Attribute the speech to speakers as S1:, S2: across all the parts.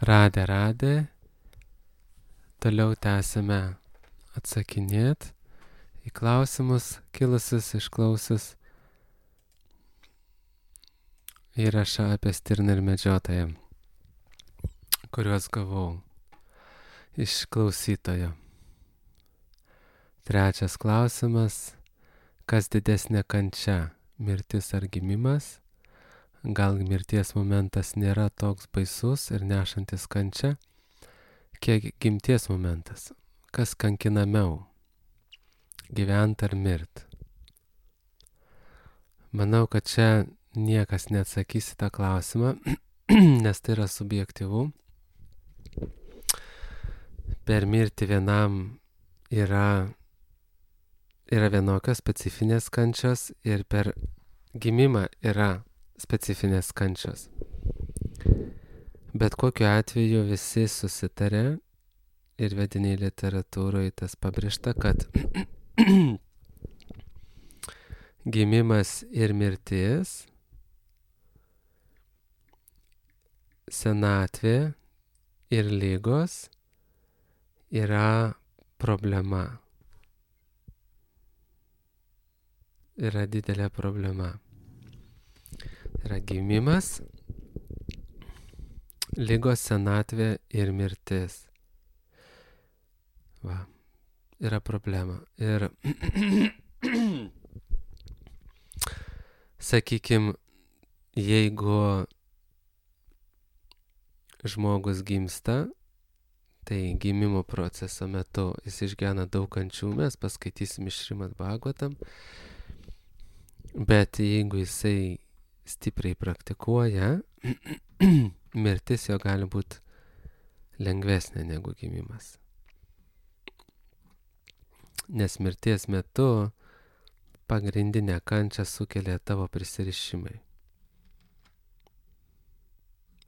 S1: Radę. Toliau tęsime atsakinėti į klausimus kilusius išklausius įrašą apie stirną ir medžiotoją, kuriuos gavau iš klausytojo. Trečias klausimas: kas didesnė kančia, mirtis ar gimimas? Gal mirties momentas nėra toks baisus ir nešantis kančia, kiek gimties momentas? Kas kankinamiau, gyvent ar mirt? Manau, kad čia niekas neatsakys į tą klausimą, nes tai yra subjektyvu. Per mirtį vienam yra vienokios specifinės kančios ir per gimimą yra specifinės kančios. Bet kokiu atveju visi susitarė ir vediniai literatūroje tas pabrėžta, kad gimimas ir mirtis, senatvė ir ligos yra problema. Yra didelė problema. Yra gimimas, ligos, senatvė ir mirtis. Va, yra problema. Ir sakykime, jeigu žmogus gimsta, tai gimimo proceso metu jis išgyvena daug kančių, mes paskaitysim iš Šrimad Bhagavatam, bet jeigu jisai stipriai praktikuoja, mirtis jo gali būti lengvesnė negu gimimas. Nes mirties metu pagrindinę kančią sukelia tavo prisirišimai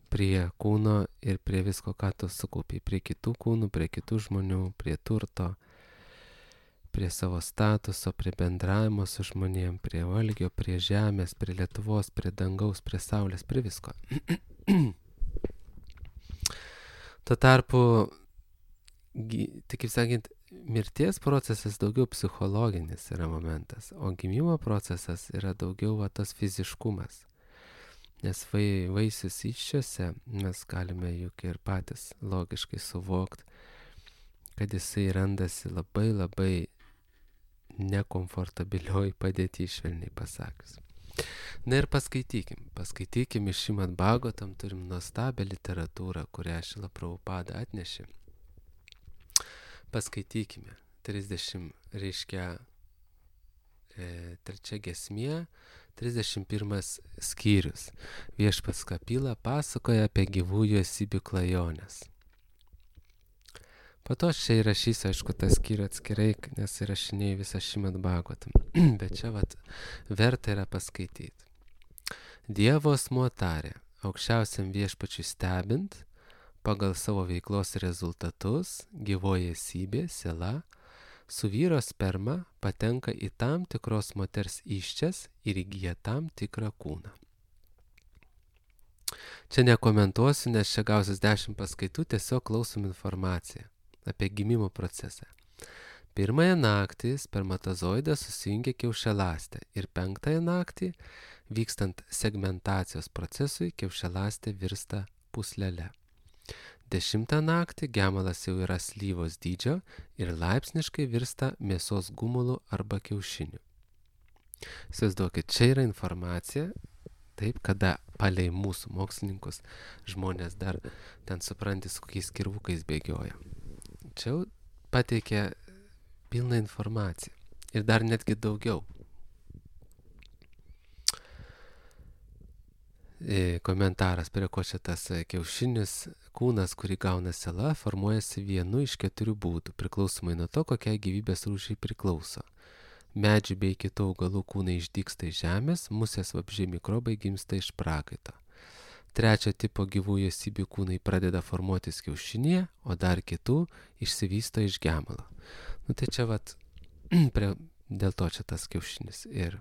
S1: prie kūno ir prie visko, ką tu sukaupi, prie kitų kūnų, prie kitų žmonių, prie turto, prie savo statuso, prie bendravimo su žmonėm, prie valgio, prie žemės, prie Lietuvos, prie dangaus, prie saulės, prie visko. Tuo tarpu, tai kaip sakant, mirties procesas daugiau psichologinis yra momentas, o gimimo procesas yra daugiau tas fiziškumas. Nes vaisius įsčiose mes galime juk ir patys logiškai suvokti, kad jisai randasi labai nekomfortabilioj padėty, švelniai pasakius. Na ir paskaitykim iš Šrimad Bhagavatam, turim nuostabią literatūrą, kurią Šrila Prabhupada atnešė. Paskaitykime 30 trečia giesmė, 31 skyrius. Viešpats Kapila pasakoja apie gyvųjų esybių klajones. Po to aš čia įrašysiu, aišku, tą skyrių atskirai, nes įrašinėjau visą Šrimad Bhagavatam. Bet čia verta yra paskaityti. Dievo asmuo tarė, aukščiausiam viešpačiui stebint, pagal savo veiklos rezultatus, gyvoji esybė, siela, su vyro sperma patenka į tam tikros moters įsčias ir įgyja tam tikrą kūną. Čia nekomentuosiu, nes čia gausis 10 paskaitų, tiesiog klausom informaciją apie gimimo procesą. Pirmąją naktį spermatozoidą susijungia kiaušialąstė ir 5-ąją naktį, vykstant segmentacijos procesui, kiaušialąstė virsta pūslele. 10 naktį gemalas jau yra slyvos dydžio ir laipsniškai virsta mėsos gumulu arba kiaušiniu. Įsivaizduokit, čia yra informacija, taip, kada palei mūsų mokslininkus žmonės dar ten supranti, su kokiais kirvukais bėgioja. Čia jau pateikia pilną informaciją ir dar netgi daugiau. Komentaras, prie ko čia tas kiaušinis kūnas, kurį gauna siela, formuojasi vienu iš 4 būdų, priklausomai nuo to, kokiai gyvybės rūšiai priklauso. Medžių bei kitų augalų kūnai išdygsta iš žemės, musės, vabzdžiai, mikrobai gimsta iš prakaito. 3 tipo gyvųjų esybių kūnai pradeda formuotis kiaušinėje, o dar kitų išsivysto iš gemalo. Tai čia dėl to čia tas kiaušinis ir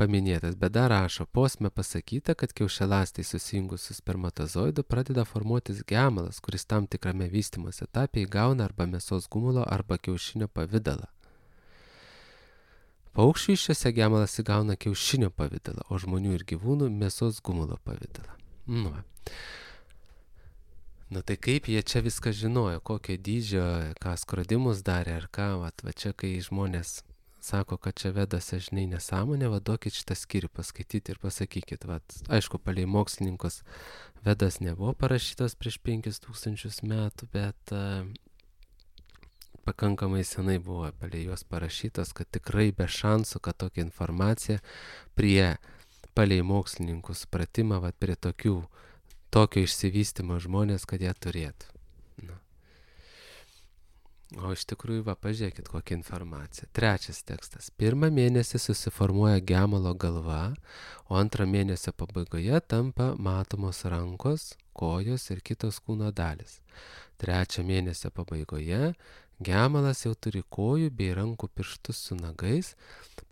S1: paminėtas, bet dar rašo, posme pasakyta, kad kiaušialąstai susijungus su spermatozoidu pradeda formuotis gemalas, kuris tam tikrame vystymosi etape įgauna arba mėsos gumulo, arba kiaušinio pavidalą. Paukščių iščiose gemalas įgauna kiaušinio pavidalą, o žmonių ir gyvūnų mėsos gumulo pavidalą. Nu tai kaip jie čia viską žinojo, kokio dydžio, ką skrodimus darė ar ką, va čia kai žmonės sako, kad čia vedose, žinai, nesąmonė, duokit šitą skyrių paskaityti ir pasakykit, aišku, palei mokslininkus vedas nebuvo parašytos prieš 5000 metų, bet pakankamai senai buvo palei juos parašytos, kad tikrai be šansų, kad tokia informacija palei mokslininkų supratimą, prie tokio išsivystymo žmonės, kad jie turėtų. O iš tikrųjų, pažiūrėkit, kokia informacija. 3 tekstas. 1 mėnesį susiformuoja gemalo galva, o 2 mėnesio pabaigoje tampa matomos rankos, kojos ir kitos kūno dalis. 3 mėnesio pabaigoje gemalas jau turi kojų bei rankų pirštus su nagais,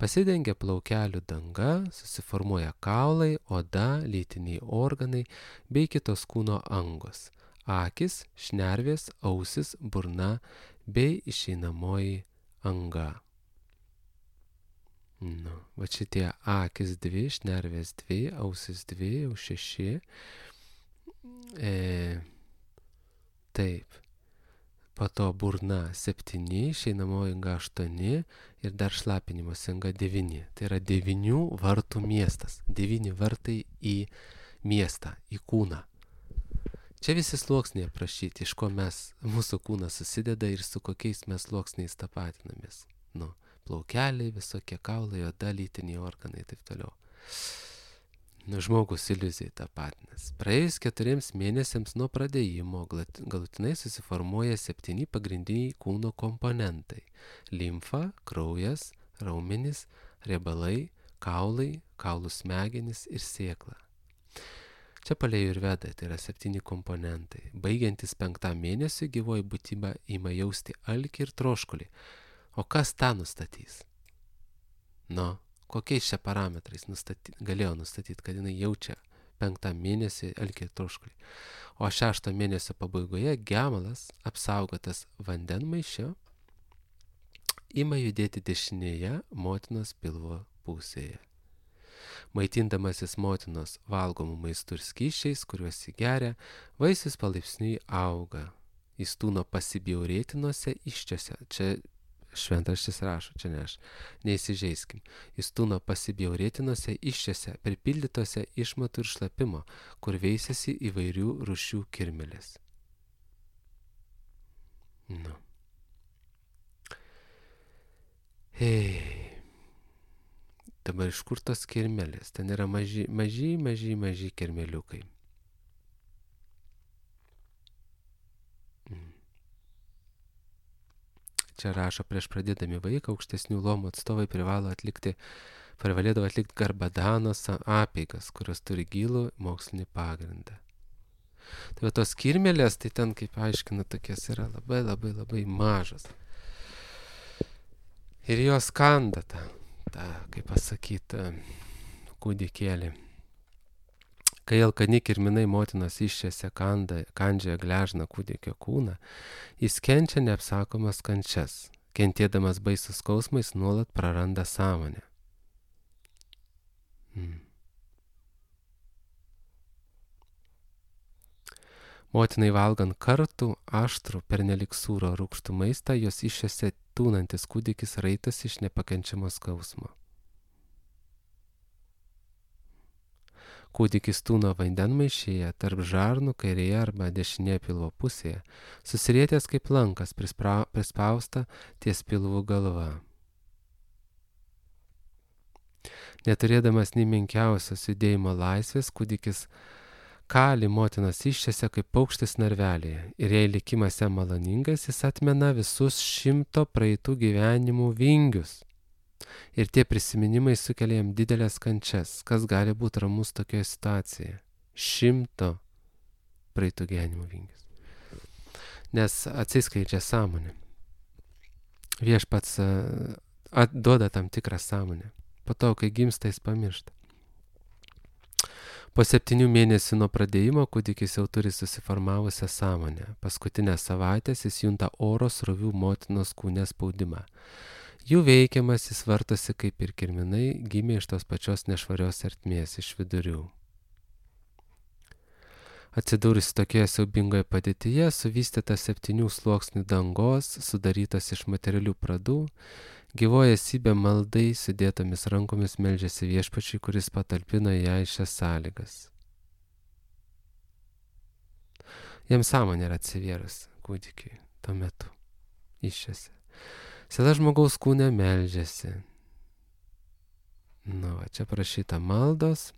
S1: pasidengia plaukelių danga, susiformuoja kaulai, oda, lytiniai organai bei kitos kūno angos. Akis, šnervės, ausis, burna bei išeinamoji anga. Šitie akis 2, šnervės 2, ausis 2, jau 6. Taip. Po to burna 7, išeinamoji anga 8 ir dar šlapinimosi anga 9. Tai yra 9 vartų miestas. 9 vartai į miestą, į kūną. Čia visi sluoksniai aprašyti, iš ko mūsų kūnas susideda ir su kokiais mes sluoksniais tapatinamės. Plaukeliai, visokie kaulai, oda, lytiniai organai ir taip toliau. Žmogus iliuzijai tapatinasi. Praėjus 4 mėnesiams nuo pradėjimo galutinai susiformuoja 7 pagrindiniai kūno komponentai. Limfa, kraujas, raumenys, riebalai, kaulai, kaulų smegenys ir sėkla. Čia palei Ajurvedą tai yra 7 komponentai. Baigiantis 5 mėnesiui gyvoji būtybė ima jausti alkį ir troškulį. O kas tą nustatys? Kokiais čia parametrais galėjo nustatyti, kad jinai jaučia 5 mėnesį alkį ir troškulį. O 6 mėnesio pabaigoje gemalas, apsaugotas vandenmaišio, ima judėti dešinėje motinos pilvo pusėje. Maitindamasis motinos valgomų maistų ir skysčiais, kuriuos įgeria, vaisius palaipsniui auga. Jis tūno pasibjaurėtinuose iščiose. Čia šventraštis rašo, čia ne aš. Neįsižeiskim. Jis tūno pasibjaurėtinuose iščiose, pripildytose išmatų ir šlapimo, kur veisiasi įvairių rūšių kirmėlės. Dabar iš kur tos kirmelės? Ten yra maži kirmeliukai. Čia rašo, prieš pradėdami vaiką, aukštesnių luomų atstovai privalėdavo atlikti garbadanos apeigas, kurios turi gilų mokslinį pagrindą. Tai tos kirmelės, tai ten, kaip aiškina, tokios yra labai mažos. Ir jos kanda tą, kaip pasakyti, kūdikėlį. Kai alkani kirminai motinos iščiose kandžioje gležna kūdikio kūną, jis kenčia neapsakomas kančias. Kentėdamas baisus skausmais nuolat praranda sąmonę. Motinai valgant kartų, aštrų, pernelik sūro rūgštų maistą, jos iščiose tūnantis kūdikis raitasi iš nepakenčiamo skausmo. Kūdikis tūno vandenmaišyje tarp žarnų kairėje arba dešinėje pilvo pusėje, susirietęs kaip lankas prispausta ties pilvų galva. Neturėdamas nei menkiausios judėjimo laisvės, kūdikis kali motinos iščiose kaip paukštis narvelėje ir jei likimas jam maloningas, jis atmena visus 100 praeitų gyvenimų vingius. Ir tie prisiminimai sukelia jam didelės kančias. Kas gali būti ramus tokioje situacijoje? 100 praeitų gyvenimų vingius. Nes atsiskleidžia sąmonė. Viešpats duoda tam tikrą sąmonę. Po to, kai gimsta, jis pamiršta. Po 7 mėnesių nuo pradėjimo kūdikis jau turi susiformavusią sąmonę. Paskutinės savaitės jis junta oro srovių motinos kūne spaudimą. Jų veikiamas jis vartosi kaip ir kirminai, gimė iš tos pačios nešvarios ertmės, iš vidurių. Atsidūrusi tokioje siaubingoje padėtyje, suvystyta 7 sluoksnių dangos, sudarytos iš materialių pradų, gyvoja esybė maldai sudėtomis rankomis meldžiasi viešpačiui, kuris patalpino ją į šias sąlygas. Jam sąmonė yra atsivėrus kūdikiui tuo metu iššiose. Siela žmogaus kūne meldžiasi. Čia prašyta maldos.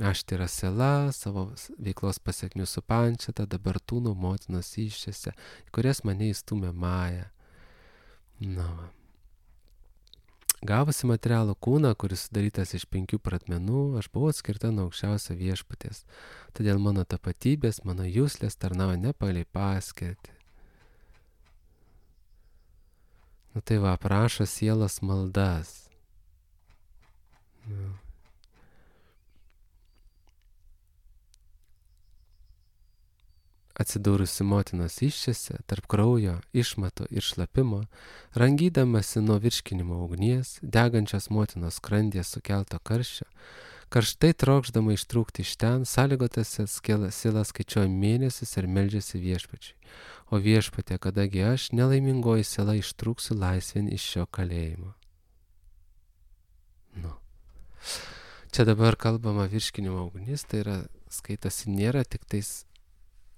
S1: Aš tai yra siela, savo veiklos pasiekmių supančiata, dabar tūnų motinos iššiose, kurias mane įstumė Maja. Gavusi materialų kūną, kuris sudarytas iš 5 pradmenų, aš buvau atskirta nuo aukščiausio viešpaties. Todėl mano tapatybės, mano juslės tarnauja ne pagal paskirtį. Tai va, aprašo sielos maldas. Atsidūrusi motinos iššiose, tarp kraujo, išmato ir šlapimo, rangydamasi nuo virškinimo ugnies, degančios motinos skrandyje sukelto karščio, karštai trokšdama ištrūkti iš ten, sąlygotose siela skaičiuoja mėnesius ir meldžiasi viešpačiui. O viešpatė, kadagi aš, nelaimingoji siela, ištrūksiu laisvėn iš šio kalėjimo. Čia dabar kalbama virškinimo ugnis, tai yra, skaitasi, nėra tik tais,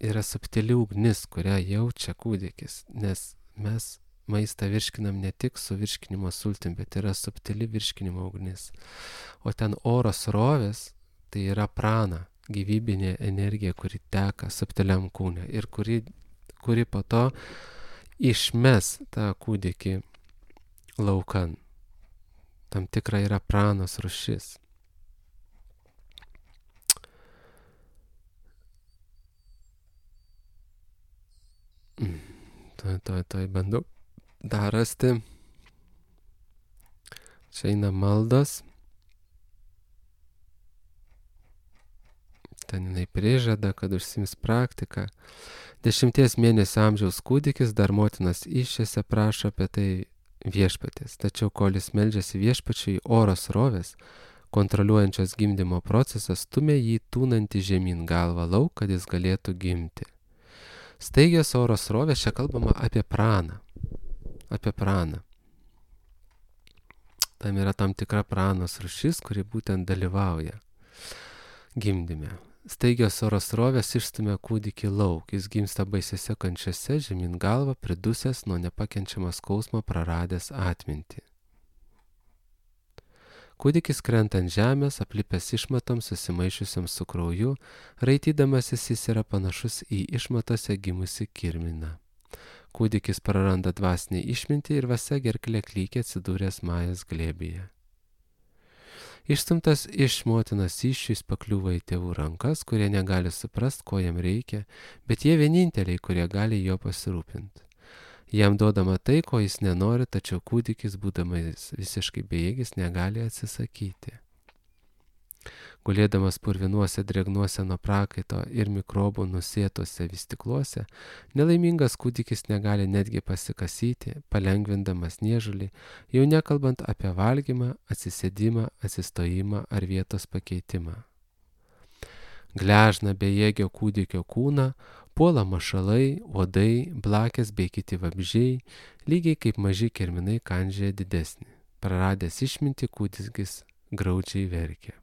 S1: yra subtili ugnis, kurią jaučia kūdikis, nes mes maistą virškinam ne tik su virškinimo sultim, bet yra subtili virškinimo ugnis. O ten oro srovės, tai yra prana, gyvybinė energija, kuri teka subtiliam kūne ir kuri po to išmes tą kūdikį laukan. Tam tikra yra pranos rūšis. Tuoj bandau dar rasti. Čia eina maldos. Ten jinai prižada, kad užsiims praktiką. 10 mėnesių amžiaus kūdikis dar motinos iššiose prašo apie tai viešpatės. Tačiau kol jis meldžiasi viešpačiui, oro srovės, kontroliuojančios gimdymo procesą, stumia jį tūnantį žemyn galvą lauk, kad jis galėtų gimti. Staigios oro srovės, čia kalbama apie praną. Apie praną. Tam yra tam tikra pranos rūšis, kuri būtent dalyvauja gimdyme. Staigios oro srovės išstumia kūdikį lauk, jis gimsta baisiose kančiose, žemyn galva, pridusęs nuo nepakenčiamo skausmo, praradęs atmintį. Kūdikis krenta ant žemės, aplipęs išmatoms susimaišiusiams su krauju, raitydamasis jis yra panašus į išmatose gimusi kirminą. Kūdikis praranda dvasinį išmintį ir vasa gerklė klykia atsidūręs Majos glėbyje. Išstumtas iš motinos iššių jis pakliūva į tėvų rankas, kurie negali suprast, ko jam reikia, bet jie vieninteliai, kurie gali jo pasirūpinti. Jam duodama tai, ko jis nenori, tačiau kūdikis, būdamas visiškai bejėgis, negali atsisakyti. Gulėdamas purvinuose drėgnuose nuo prakaito ir mikrobų nusėtose vystikluose, nelaimingas kūdikis negali netgi pasikasyti, palengvindamas niežulį, jau nekalbant apie valgymą, atsisėdimą, atsistojimą ar vietos pakeitimą. Gležna bejėgio kūdikio kūną puola mašalai, uodai, blakės bei kiti vabzdžiai, lygiai kaip maži kirminai kandžioja didesnį. Praradęs išmintį, kūdikis graudžiai verkia.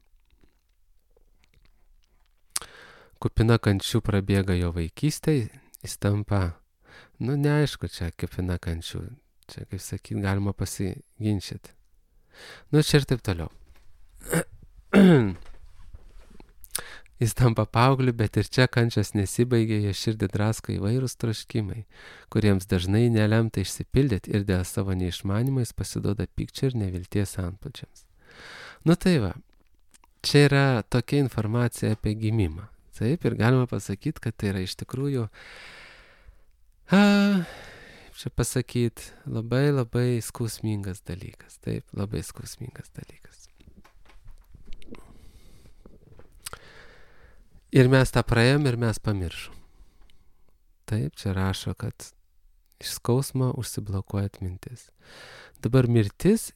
S1: Kupina kančių prabėga jo vaikystė, jis tampa, neaišku, čia kupina kančių, čia, kaip sakyt, galima pasiginčyti. Čia ir taip toliau. Jis tampa paaugliu, bet ir čia kančios nesibaigia, jo širdį drasko įvairūs troškimai, kuriems dažnai nelemta išsipildyti ir dėl savo neišmanimo jis pasiduoda pykčio ir nevilties antplūdžiams. Tai va, čia yra tokia informacija apie gimimą. Taip, ir galima pasakyti, kad tai yra iš tikrųjų, labai labai skausmingas dalykas. Taip, labai skausmingas dalykas. Ir mes tą praėjom ir mes pamiršom. Taip, čia rašo, kad iš skausmo užsiblokuoja atmintis. Dabar mirtis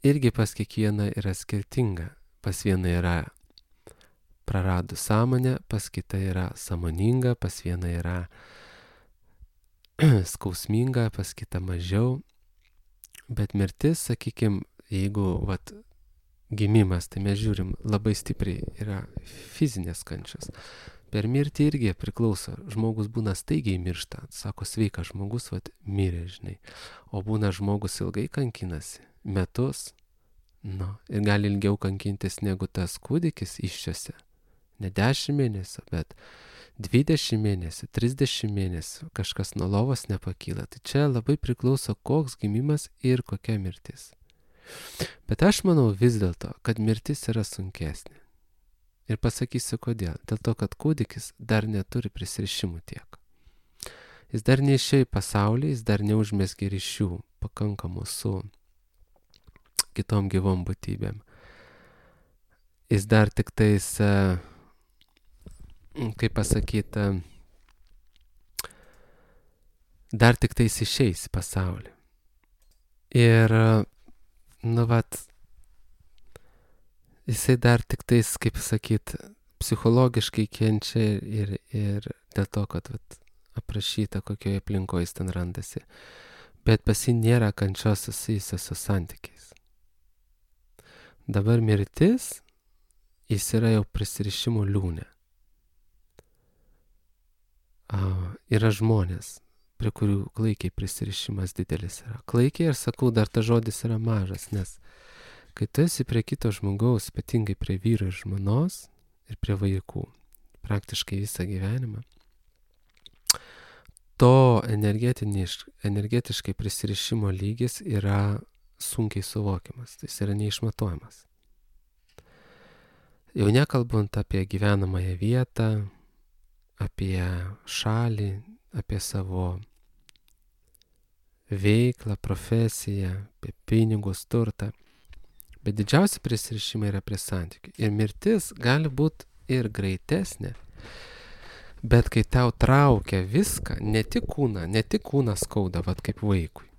S1: irgi pas kiekvieną yra skirtinga. Pas vieną yra praradus sąmonę, pas kitą yra sąmoninga, pas vieną yra skausminga, pas kitą mažiau. Bet mirtis, sakykime, jeigu gimimas, tai mes žiūrim labai stipriai yra fizinės kančios. Per mirtį irgi priklauso. Žmogus būna staigiai miršta. Sako, sveikas žmogus, mirė, žinai. O būna žmogus ilgai kankinasi. Metus. Ir gali ilgiau kankintis negu tas kūdikis iščiose. Ne 10 mėnesių, bet 20 mėnesių, 30 mėnesių. Kažkas nuo lovos nepakyla. Tai čia labai priklauso, koks gimimas ir kokia mirtis. Bet aš manau vis dėlto, kad mirtis yra sunkesnė. Ir pasakysiu kodėl. Dėl to, kad kūdikis dar neturi prisirišimų tiek. Jis dar neišėjo į pasaulį, jis dar neužmezgė ryšių pakankamų su kitom gyvom būtybėm. Jis dar tik tais, dar tik tais išeis į pasaulį. Ir, jisai dar tik tais, psichologiškai kenčia ir dėl to, kad aprašyta, kokioje aplinkoje jis ten randasi. Bet pas jį nėra kančios susijusios su santykiais. Dabar mirtis, jis yra jau prisirišimo liūne. Yra žmonės, prie kurių klaikiai prisirišimas didelis yra. Klaikiai, ir sakau, dar ta žodis yra mažas, nes kai tu esi prie kito žmogaus, ypatingai prie vyro ir žmonos ir prie vaikų, praktiškai visą gyvenimą, to energetiškai prisirišimo lygis yra sunkiai suvokiamas, jis yra neišmatuojamas. Jau nekalbant apie gyvenamąją vietą, apie šalį, apie savo veiklą, profesiją, apie pinigus, turtą. Bet didžiausi prisirišimai yra prie santykių. Ir mirtis gali būti ir greitesnė, bet kai tau traukia viską, ne tik kūną skauda, kaip vaikui,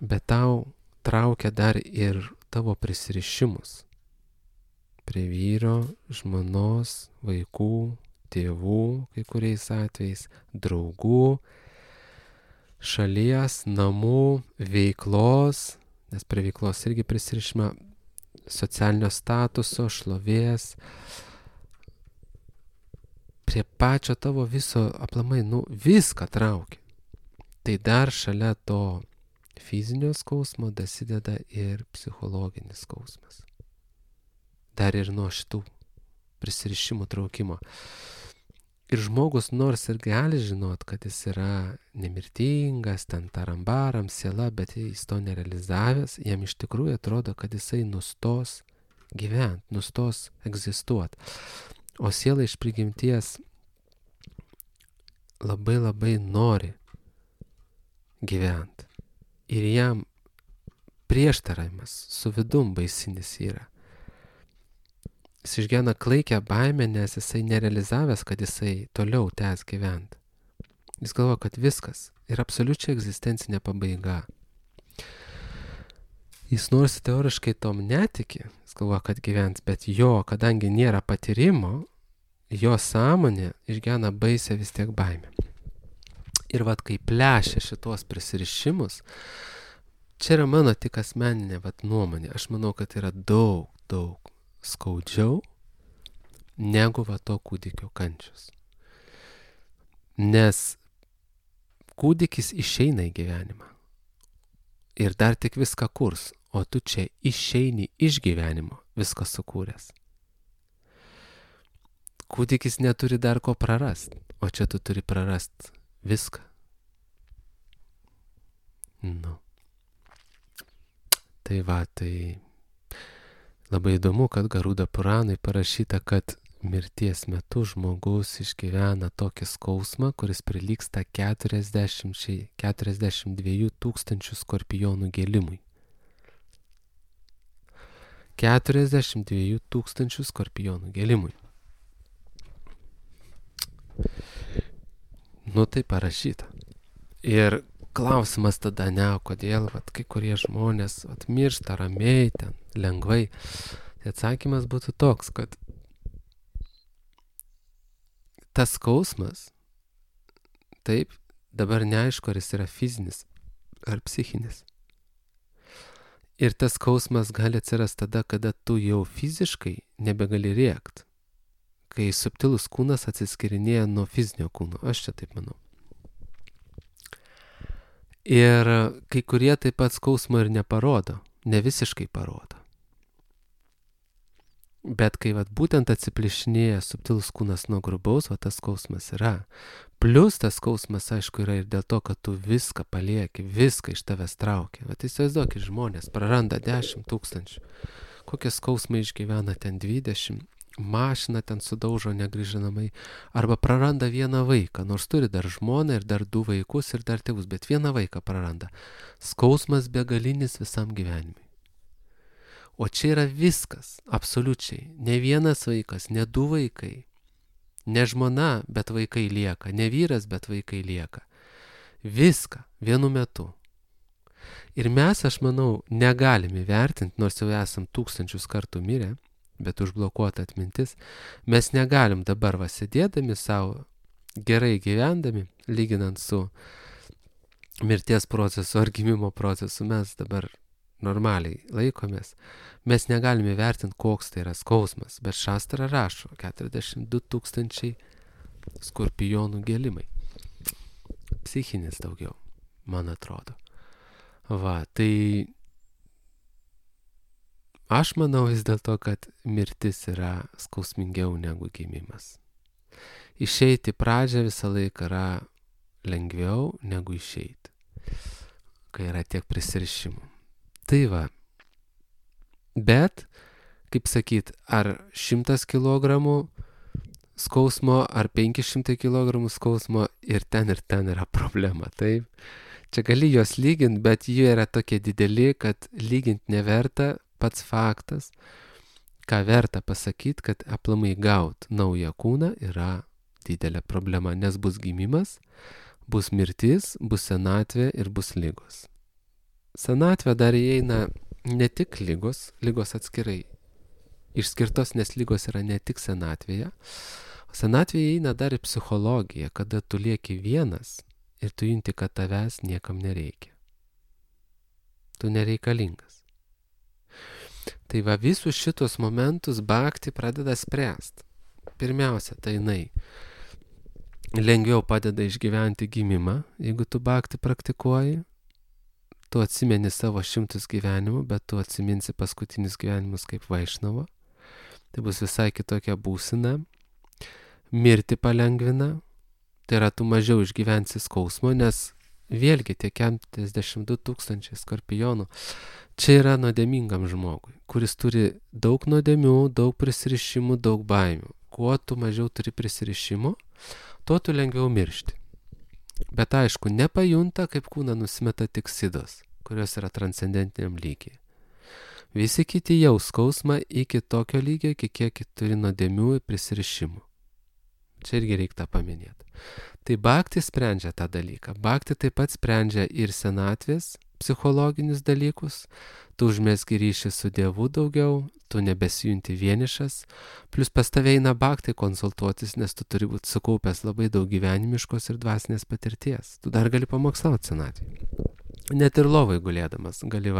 S1: bet tau traukia dar ir tavo prisirišimus prie vyro, žmonos, vaikų, tėvų, kai kuriais atvejais, draugų, šalies, namų, veiklos, nes prie veiklos irgi prisirišima, socialinio statuso, šlovės, prie pačio tavo viso aplamai, viską traukia. Tai dar šalia to fizinio skausmo dasideda ir psichologinis skausmas. Dar ir nuo šitų prisirišimų traukimo. Ir žmogus nors ir gali žinot, kad jis yra nemirtingas, ten tarambaram, siela, bet jis to nerealizavęs, jam iš tikrųjų atrodo, kad jisai nustos gyventi, nustos egzistuoti. O siela iš prigimties labai labai nori gyventi. Ir jam prieštaravimas su vidum baisinis yra. Jis išgyvena klaikę baimę, nes jisai nerealizavęs, kad jisai toliau tęs gyventi. Jis galvoja, kad viskas yra absoliučiai egzistencinė pabaiga. Jis nors teoriškai tom netiki, jis galvoja, kad gyvens, bet kadangi nėra patyrimo, jo sąmonė išgyvena baisę vis tiek baimę. Ir kai plešia šitos prisirišimus, čia yra mano tik asmeninė nuomonė. Aš manau, kad yra daug skaudžiau negu to kūdikio kančios. Nes kūdikis išeina į gyvenimą ir dar tik viską kurs, o tu čia išeini iš gyvenimo viską sukūręs. Kūdikis neturi dar ko prarast, o čia tu turi prarast viską. Tai labai įdomu, kad Garuda Puranui parašyta, kad mirties metu žmogus išgyvena tokį skausmą, kuris prilygsta 42 000 skorpionų gėlimui. 42 000 skorpionų gėlimui. Nu tai parašyta. Ir klausimas tada kodėl kai kurie žmonės miršta ramiai, ten lengvai. Tai atsakymas būtų toks, kad tas skausmas, taip, dabar neaišku, ar jis yra fizinis ar psichinis. Ir tas skausmas gali atsirasti tada, kada tu jau fiziškai nebegali rėkt, kai subtilus kūnas atsiskirinėja nuo fizinio kūno. Aš čia taip manau. Ir kai kurie taip pat skausmo ir neparodo, ne visiškai parodo. Bet kai būtent atsiplišinėja subtilus kūnas nuo grubaus, tas skausmas yra. Plius tas skausmas, aišku, yra ir dėl to, kad tu viską palieki, viską iš tavęs traukia. Įsivaizduokit, žmonės praranda 10 000. Kokie skausmai išgyvena ten 20, mašiną ten sudaužo negrįžinamai, arba praranda vieną vaiką, nors turi dar žmoną ir dar 2 vaikus ir dar tėvus, bet vieną vaiką praranda. Skausmas begalinis visam gyvenimui. O čia yra viskas, absoliučiai. Ne vienas vaikas, ne 2 vaikai. Ne žmona, bet vaikai lieka. Ne vyras, bet vaikai lieka. Viską vienu metu. Ir mes, aš manau, negalime vertinti, nors jau esam 1000 kartų mirę, bet užblokuota atmintis, mes negalim dabar sėdėdami savo, gerai gyvendami, lyginant su mirties procesu ar gimimo procesu, mes dabar normaliai laikomės, mes negalime vertinti, koks tai yra skausmas, bet Šastra rašo 42 000 skorpionų gelimai. Psichinis daugiau, man atrodo. Tai aš manau vis dėlto, kad mirtis yra skausmingiau negu gimimas. Išeiti pradžią visą laiką yra lengviau negu išeiti, kai yra tiek prisirišimų. Tai bet, kaip sakyt, ar 100 kilogramų skausmo, ar 500 kilogramų skausmo ir ten yra problema, taip? Čia gali juos lyginti, bet jie yra tokie dideli, kad lyginti neverta. Pats faktas, ką verta pasakyti, kad aplamai gauti naują kūną yra didelė problema, nes bus gimimas, bus mirtis, bus senatvė ir bus ligos. Senatvė dar įeina ne tik ligos atskirai išskirtos, nes ligos yra ne tik senatvėje, o senatvėje įeina dar ir psichologija, kada tu lieki vienas ir tu junti, kad tavęs niekam nereikia. Tu nereikalingas. Tai visus šitos momentus bhakti pradeda spręsti. Pirmiausia, tai jinai lengviau padeda išgyventi gimimą, jeigu tu bhakti praktikuoji. Tu atsimeni savo 100 gyvenimų, bet tu atsiminsi paskutinius gyvenimus kaip Vaišnava. Tai bus visai kitokia būsena. Mirti palengvina. Tai yra, tu mažiau išgyvensi skausmo, nes vėlgi tie 42 000 skorpionų čia yra nuodėmingam žmogui, kuris turi daug nuodėmių, daug prisirišimų, daug baimių. Kuo tu mažiau turi prisirišimų, tuo tu lengviau miršti. Bet aišku, nepajunta, kaip kūną nusimeta tik sidos, kurios yra transcendentiniam lygiai. Visi kiti jau skausmą iki tokio lygio, kiek turi nuodėmių ir prisirišimų. Čia irgi reikia paminėti. Tai bhakti sprendžia tą dalyką. Bhakti taip pat sprendžia ir senatvės psichologinius dalykus. Tu užmezgi ryšį su Dievu daugiau, tu nebesijunti vienišas. Plus pas tave eina bhakti konsultuotis, nes tu turi būti sukaupęs labai daug gyvenimiškos ir dvasinės patirties. Tu dar gali pamokslauti senatvėje. Net ir lovai gulėdamas gali,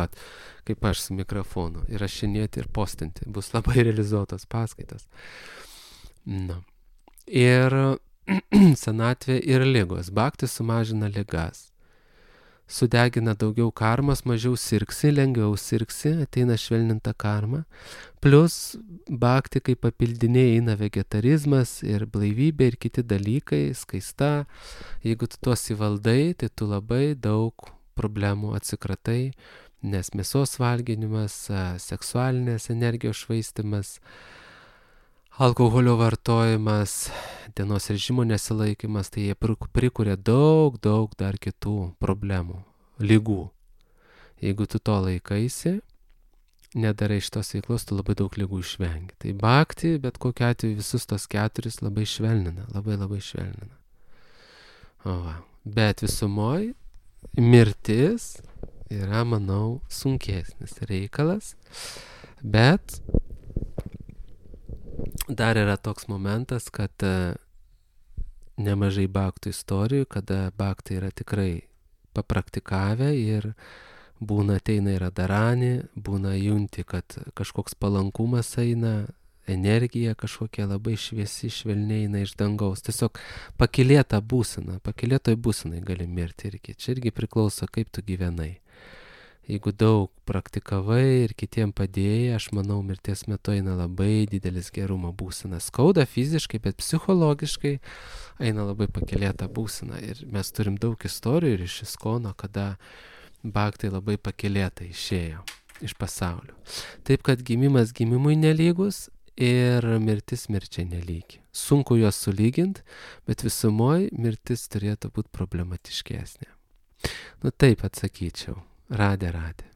S1: kaip aš su mikrofonu, įrašinėti ir postinti. Bus labai realizuotos paskaitos. Ir senatvė ir ligos. Bhakti sumažina ligas. Sudegina daugiau karmas, mažiau sirgsi, lengviau sirgsi, ateina švelninta karma. Plus bhakti kaip papildiniai eina vegetarizmas ir blaivybė ir kiti dalykai, skaista. Jeigu tu tuos įvaldai, tai tu labai daug problemų atsikratai, nes mėsos valgymas, seksualinės energijos švaistymas, alkoholio vartojimas, dienos režimo nesilaikymas, tai jie prikuria daug dar kitų problemų, ligų. Jeigu tu to laikaisi, nedarai šitos veiklos, tu labai daug ligų išvengi. Tai bhakti, bet kokiu atveju visus tos 4 labai švelnina, labai švelnina. Va. Bet visumoj mirtis yra, manau, sunkesnis reikalas, bet dar yra toks momentas, kad nemažai bhaktų istorijų, kada bhaktai yra tikrai papraktikavę ir būna ateina ir adarani, būna junti, kad kažkoks palankumas eina, energija kažkokia labai šviesi, švelniai eina iš dangaus. Tiesiog pakylėta būsena, pakylėtoj būsenai gali mirti irgi. Čia irgi priklauso, kaip tu gyvenai. Jeigu daug praktikavai ir kitiem padėjai, aš manau, mirties metu eina labai didelis gerumo būsena. Skauda fiziškai, bet psichologiškai eina labai pakylėta būsena. Ir mes turim daug istorijų ir iš Iskono, kada bhaktai labai pakylėta išėjo iš pasaulio. Taip, kad gimimas gimimui nelygus ir mirtis mirčiai nelygi. Sunku juos sulyginti, bet visumoj mirtis turėtų būti problematiškesnė. Nu taip atsakyčiau. Radė.